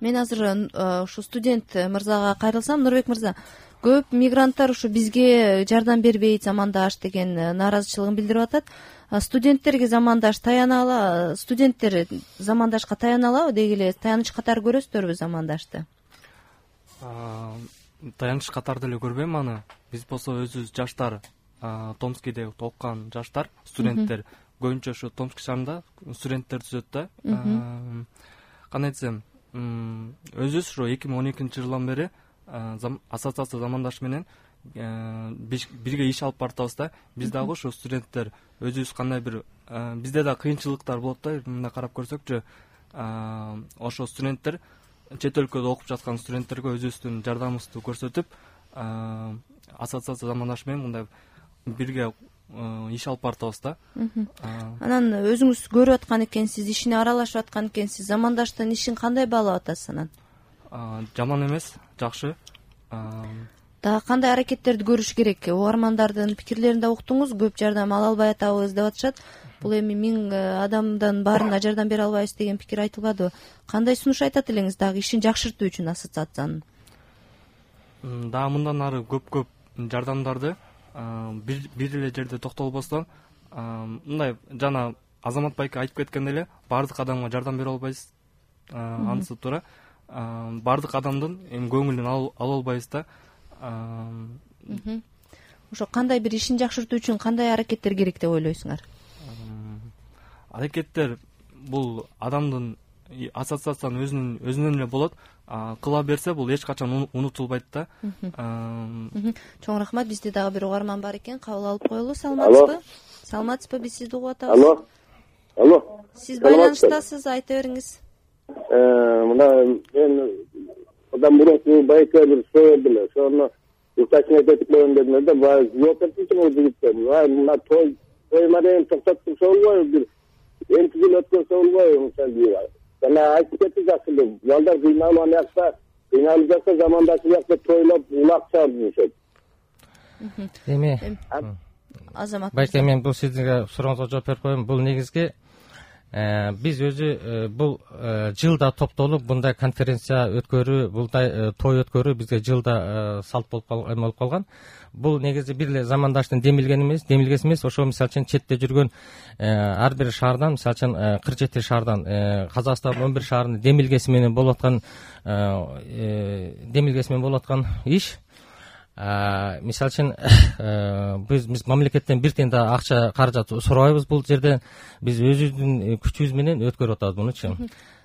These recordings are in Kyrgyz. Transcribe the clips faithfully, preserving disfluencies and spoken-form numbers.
Мен азыр ушу студент мырзага кайрылсам, Нурбек мырза, көп мигранттар ушу бизге жардам бербейт, замандаш деген нааразычылыгын билдирип атат. Студенттерге замандаш таяна ала, студенттер замандашка таяна алабы, деги эле таяныч катары көрөсүздөрбү замандашты? Таяныч катары деле көрбөйм аны. Биз болсо өзүбүз жаштар, Томскиде окуган жаштар, студенттер көбүнчө ошо Томск шаарында студенттер түзөт да. Кандай десем, өзүбүз ошо эки миң он экинчи жылдан бери ассоциация замандаш менен бирге иш алып баратабыз да. Биз дагы ошо студенттер өзүбүз кандай бир бизде да кыйынчылыктар болот да. Мындай карап көрсөкчү, ошо студенттер чет өлкөдө окуп жаткан студенттерге өзүбүздүн жардамыбызды көрсөтүп, ассоциация замандаш менен мындай бирге иш алып баратабыз да. Анан өзүңүз көрүп аткан экенсиз, ишине аралашып аткан экенсиз. Замандаштын ишин кандай баалап атасыз анан? Жаман эмес, жакшы. Дагы кандай аракеттерди көрүш керек? Угармандардын пикирлерин да уктуңуз, көп жардам ала албай атабыз деп атышат. Бул эми миң адамдан баарына жардам бере албайбыз деген пикир айтылбадыбы? Кандай сунуш айтат элеңиз дагы ишин жакшыртуу үчүн ассоциациянын? Дагы мындан ары көп-көп жардамдарды бир эле жерде токтолбостон, мындай жана Азамат байке айтып кеткен эле, баардык адамга жардам бере албайбыз. Анысы туура. Баардык адамдын эми көңүлүн ала албайбыз да. Ошо кандай бир ишин жакшыртуу үчүн кандай аракеттер керек деп ойлойсуңар? Аракеттер бул адамдын, ассоциациянын өзүнүн өзүнөн эле болот. Кыла берсе бул эч качан унутулбайт да. Чоң рахмат. Бизде дагы бир угарман бар экен, кабыл алып коелу. Саламатсызбы? Саламатсызбы? Биз сизди угуп атабыз. Алло. Алло. Сиз байланыштасыз, айта бериңиз. Мына мен адам мурунку байке бир сөйдүм эле. Ошону уточнять этип коеюн дедим да, баа жооп берчү бул жигиттер. Мына той той менен токтотуп болбойбу, бир эки жыл өткөнсө болбойбу мисалы. Жана айтып кетти жакшы, балдар кыйналып анакта, кыйналып жатса замандашы жакта тойлоп улак чыгарышат. Эми Азамат байке, мен бул сиздерге сурооңузга жооп берип коеюн. Бул негизги биз өзү бул жылда топтолуп мындай конференция өткөрүү, мындай той өткөрүү бизге жылда салт болуп калган. Бул негизи бир эле замандаштын демилген эмес, демилгеси эмес, ошо мисалы үчүн четте жүргөн ар бир шаардан, мисалы үчүн кырк жети шаардан, Казакстандын он бир шаарынын демилгеси менен болуп аткан демилгеси менен болуп аткан иш. Мисалы үчүн биз биз мамлекеттен бир тиен да акча каражат сурабайбыз бул жерде. Биз өзүбүздүн күчүбүз менен өткөрүп атабыз мунучу.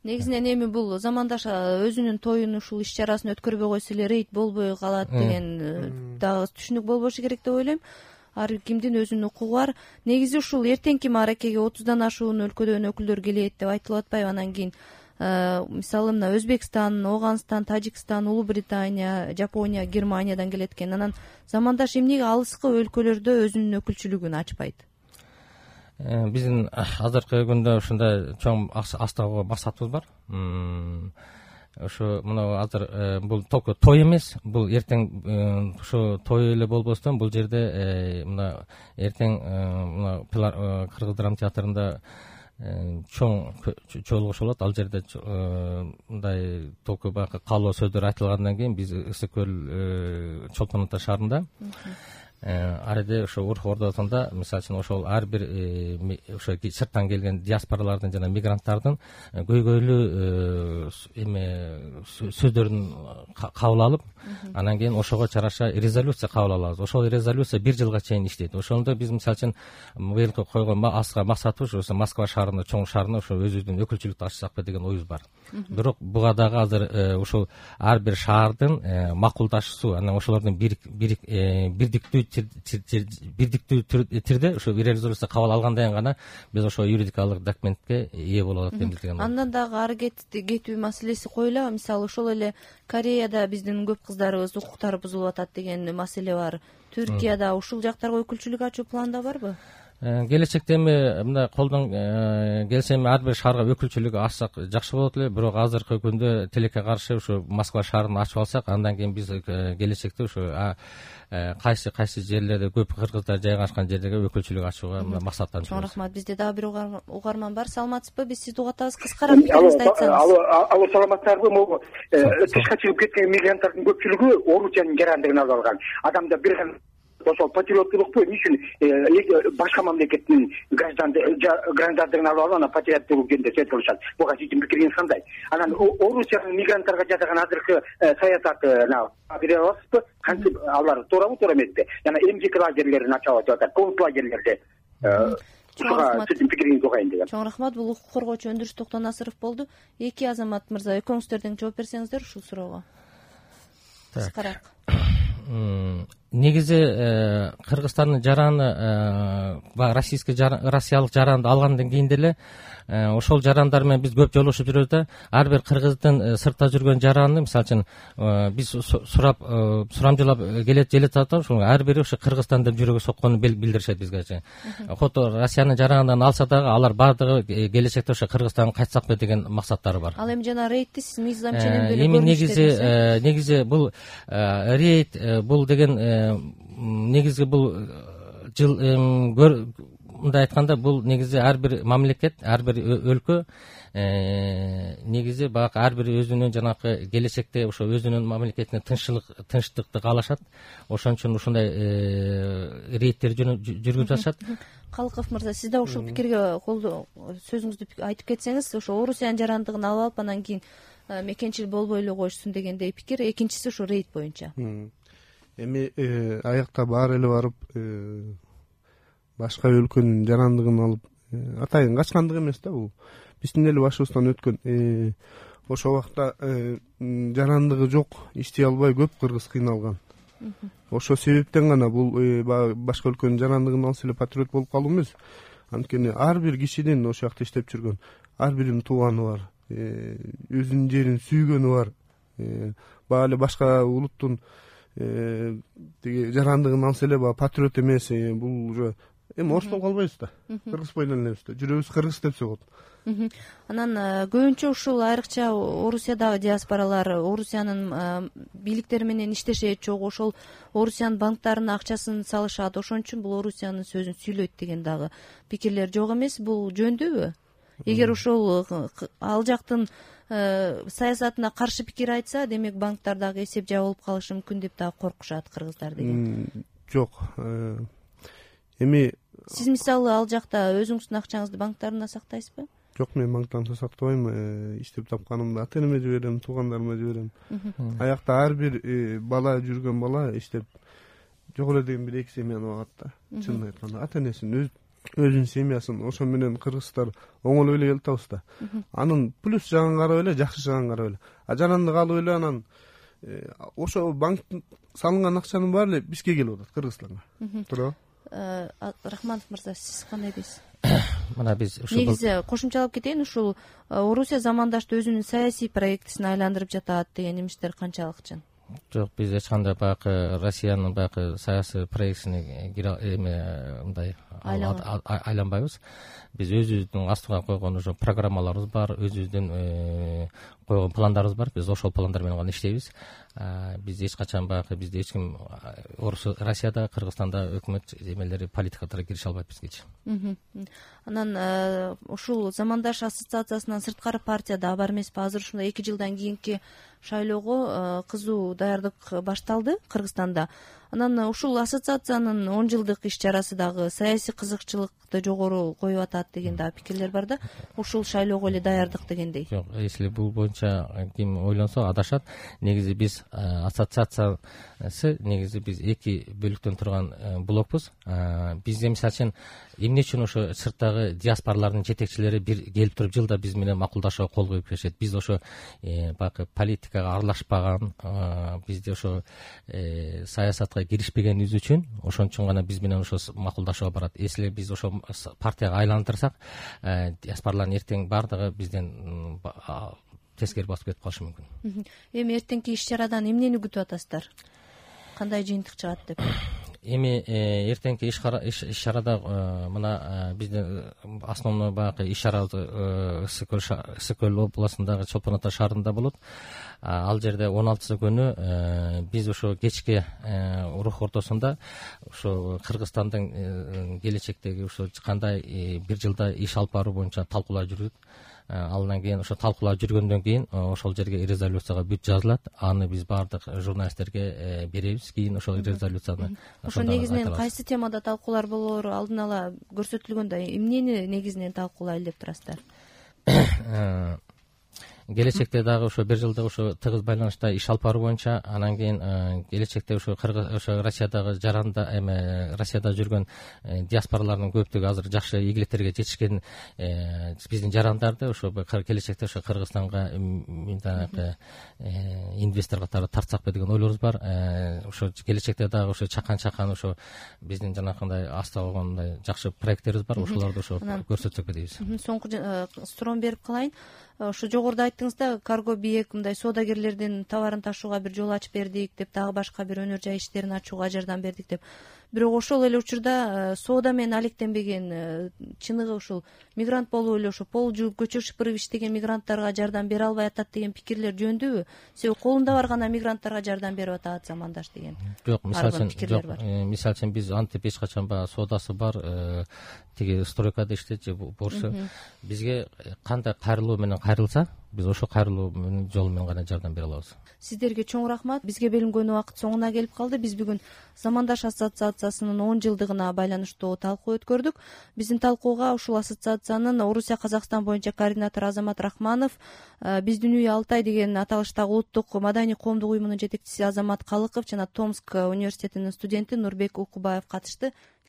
Негизинен эми бул замандаш өзүнүн тоюн, ушул иш чарасын өткөрбөй койсо эле рейд болбой калат деген дагы түшүнүк болбошу керек деп ойлойм. Ар кимдин өзүнүн укугу бар. Негизи ушул эртеңки мааракеге отуздан ашуун өлкөдөн өкүлдөр келет деп айтылып атпайбы? Анан кийин мисалы мына Өзбекстан, Ооганстан, Тажикстан, Улуу Британия, Жапония, Германиядан келет экен. Анан замандаш эмнеге алыскы өлкөлөрдө өзүнүн өкүлчүлүгүн ачпайт? Биздин азыркы күндө ушундай чоң астагы максатыбыз бар. Ошо мына азыр бул только той эмес, бул эртең ошо той эле болбостон бул жерде мына эртең мына Кыргыз драма театрында чоң чогулуш болот. Ал жерде мындай толку баягы каалоо сөздөр айтылгандан кийин биз Ысык көл Чолпон Ата шаарында ар жерде ошо Урх Ордосунда мисалы үчүн ошол ар бир ошо сырттан келген диаспоралардын жана мигранттардын көйгөйлүү эме сөздөрүн кабыл алып, анан кийин ошого чараша резолюция кабыл алабыз. Ошол резолюция бир жылга чейин иштейт. Ошондо биз мисалы үчүн быйыл койгон аска максатыбыз ошо Москва шаарында, чоң шаарында ошо өзүбүздүн өкүлчүлүктү ачсакпы деген оюбуз бар. Бирок буга дагы азыр ушул ар бир шаардын макулдашуусу, анан ошолордун бирдиктүү бирдиктүү түрдө ошо резолюция кабыл алгандан кийин гана биз ошо юридикалык документке ээ болот деп билдирген. Андан дагы ары кетүү маселеси коюлабы? Мисалы ошол эле Кореяда биздин көп кыздарыбыз укуктары бузулуп атат деген маселе бар. Түркияда ушул жактарга өкүлчүлүк ачуу планда барбы? келечекте эми мындай колдон келсе эми ар бир шаарга өкүлчүлүк ачсак жакшы болот эле, бирок азыркы күндө тилекке каршы ушу Москва шаарын ачып алсак, андан кийин биз келечекте ушу кайсы кайсы жерлерде көп кыргыздар жайгашкан жерлерге өкүлчүлүк ачууга максаттанып чоң рахмат. Бизде дагы бир угарман бар. Саламатсызбы? Биз сизди угатабыз. Кыскараак пикириңизди айтсаңыз. Алло, алло, саламатсыздарбы? Могу тышка чыгып кеткен мигранттардын көпчүлүгү Орусиянын жарандыгын алып алган. Адамда бир ошол патриоттулукпу эмне үчүн башка мамлекеттин граждандыгын алып алып, анан патриоттулук жөнүндө сөз кылышат. Буга сиздин пикириңиз кандай? Анан Орусиянын мигранттарга жасаган азыркы саясатын бере аласызбы? Кантип алар тоорабы, туура эмеспи? Жана эмгек лагерлерин ачып атып атат, конц лагерлерди. Ушуга сиздин пикириңизди угайын деген. Чоң рахмат. Бул укук коргоочу Өндүрүш Токтонасыров болду. Эки азамат мырза, экөөңүздөрдөн жооп берсеңиздер ушул суроого. Кыскараак. Негизи Кыргызстандын жараны, российский россиялык жаранды алгандан кийин деле ошол жарандар менен биз көп жолугушуп жүрөбүз да. Ар бир кыргыздын сыртта жүргөн жараны, мисалы үчүн биз сурап сурамжылап келет желет атат, ошол ар бири ошо Кыргызстан деп жүрөгү сокконун билдиришет бизге. Кото Россиянын жаранынан алса дагы алар баардыгы келечекте ошо Кыргызстанга кайтсакпы деген максаттары бар. Ал эми жана рейдти сиз мыйзам ченемдүү эле эми негизи негизи бул рейд бул деген негизи бул жыл мындай айтканда бул негизи ар бир мамлекет, ар бир өлкө негизи баягы ар бир өзүнүн жанакы келечекте ошо өзүнүн мамлекетине тынччылык тынчтыкты каалашат. Ошон үчүн ушундай рейдтер жүргүзүп жатышат. Калыков мырза, сиз да ушул пикирге колдоо сөзүңүздү айтып кетсеңиз, ошо Орусиянын жарандыгын алып алып анан кийин мекенчил болбой эле коюшсун дегендей пикир. Экинчиси ушу рейд боюнча. Эми аякта баары эле барып башка өлкөнүн жарандыгын алып атайын качкандык эмес да, бул биздин эле башыбыздан өткөн. Ошол убакта жарандыгы жок, иштей албай көп кыргыз кыйналган. Ошол себептен гана бул башка өлкөнүн жарандыгын алса эле патриот болуп калуу эмес. Анткени ар бир кишинин ошол жакта иштеп жүргөн ар биринин тууганы бар, өзүнүн жерин сүйгөнү бар. Баа эле башка улуттун тиги жарандыгын алса эле баягы патриот эмес, бул уже эми орус болуп калбайбыз да. Кыргыз боюнан элебиз да. Жүрөбүз кыргыз деп согот. Анан көбүнчө ушул айрыкча Орусиядагы диаспоралар Орусиянын бийликтери менен иштешет жок, ошол Орусиянын банктарына акчасын салышат. Ошон үчүн бул Орусиянын сөзүн сүйлөйт деген дагы пикирлер жок эмес. Бул жөндөбү? Эгер ошол ал жактын саясатына каршы пикир айтса, демек банктар дагы эсеп жабылып калышы мүмкүн деп дагы коркушат кыргыздар деген. Жок. Эми сиз мисалы ал жакта өзүңүздүн акчаңызды банктарында сактайсызбы? Жок, мен банктарда сактабайм. Иштеп тапканымды ата энеме жиберем, туугандарыма жиберем. Аякта ар бир бала жүргөн бала иштеп жок эле деген бир эки семьяны багат да. Чынын айтканда ата энесин өз өзүнүн семьясын ошо менен кыргыздар оңолой эле келип атабыз да. Анын плюс жагын карап эле, жакшы жагын карап эле. А жарандык алып эле анан ошо банктын салынган акчанын баары эле бизге келип атат, Кыргызстанга. Туурабы? Рахманов мырза, сиз кандай дейсиз? Мына биз ушул негизи кошумчалап кетейин, ушул Орусия замандашты өзүнүн саясий проектисине айландырып жатат деген эмиштер канчалык чын? Жок, биз эч кандай баягы Россиянын баягы саясий проектисине эме мындай айланбайбыз. Биз өзүбүздүн астыга койгон ошо программаларыбыз бар, өзүбүздүн койгон пландарыбыз бар. Биз ошол пландар менен гана иштейбиз. Биз эч качан баягы бизде эч ким Россияда, Кыргызстанда өкмөт эмелери, политикаларга кирише албайт бизгечи. Анан ушул замандаш ассоциациясынан сырткары партия да бар эмеспи? Азыр ушундай эки жылдан кийинки шайлоого кызуу даярдык башталды Кыргызстанда. Анан ушул ассоциациянын он жылдык иш чарасы дагы саясий кызыкчылыкты жогору коюп атат деген дагы пикирлер бар да. Ушул шайлоого эле даярдык дегендей. Жок, если бул боюнча ким ойлонсо адашат. Негизи биз ассоциациясы негизи биз эки бөлүктөн турган блокпуз. Бизде мисалы үчүн эмне үчүн ошо сырттагы диаспоралардын жетекчилери бир келип туруп жылда биз менен макулдашууга кол коюп беришет. Биз ошо баягы политикага аралашпаган, бизде ошо саясатка киришпегенибиз үчүн, ошон үчүн гана биз менен ошо макулдашууга барат. Если биз ошо партияга айландырсак, диаспоралардын эртең баардыгы бизден тескери басып кетип калышы мүмкүн. Эми эртеңки иш чарадан эмнени күтүп атасыздар? Кандай жыйынтык чыгат деп? эми эртеңки иш чарада мына биздин основной баягы иш чара ысык көл ысык көл областындагы Чолпон Ата шаарында болот. Ал жерде он алтысы күнү биз ошо кечки урук ортосунда ошо Кыргызстандын келечектеги ошо кандай бир жылда иш алып баруу боюнча талкуулар жүрүп, андан кийин ошо талкуулар жүргөндөн кийин ошол жерге резолюцияга бүт жазылат. Аны биз баардык журналисттерге беребиз. Кийин ошол резолюцияны ошо негизинен кайсы темада талкуулар болоору алдын ала көрсөтүлгөндө эмнени негизинен талкуулайлы деп турасыздар? Келечекте дагы ошо бир жылда ошо тыгыз байланышта иш алып баруу боюнча, анан кийин келечекте ошо ошо Россиядагы жаранда эме Россияда жүргөн диаспоралардын көптүгү азыр жакшы ийгиликтерге жетишкен биздин жарандарды ошо келечекте ошо Кыргызстанга инвестор катары тартсакпы деген ойлорубуз бар. Ошо келечекте дагы ошо чакан-чакан ошо биздин жанакындай аста болгондой жакшы проекттерибиз бар. Ошолорду ошо көрсөтсөк дейбиз. Соңку суроону берип калайын. Ошо жогоруда айттыңыз да, Карго Биек мындай соодагерлердин товарын ташууга бир жол ачып бердик деп, дагы башка бир өнөр жай иштерин ачууга жардам бердик деп. Бирок ошол эле учурда соода менен алектенбеген, чыныгы ушул мигрант болуп эле ошо пол жууп, көчө шыпырып иштеген мигранттарга жардам бере албай атат деген пикирлер жөндүүбү? Себеби колунда бар гана мигранттарга жардам берип атат замандаш деген. Жок, мисалы үчүн, жок, мисалы үчүн биз антип эч качан баягы соодасы бар тиги стройкада иштейт же борчу бизге кандай кайрылуу менен кайрылса, биз ошо кайрылуу жолу менен гана жардам бере алабыз. Сиздерге чоң рахмат. Бизге белгиленген убакыт соңуна келип калды. Биз бүгүн Замандаш ассоциациясынын он жылдыгына байланыштуу талкуу өткөрдүк. Биздин талкууга ушул ассоциациянын Орусия Казакстан боюнча координатору Азамат Рахманов, биздин үй Алтай деген аталыштагы улуттук маданий коомдук уюмунун жетекчиси Азамат Калыков жана Томск университетинин студенти Нурбек Укубаев катышты.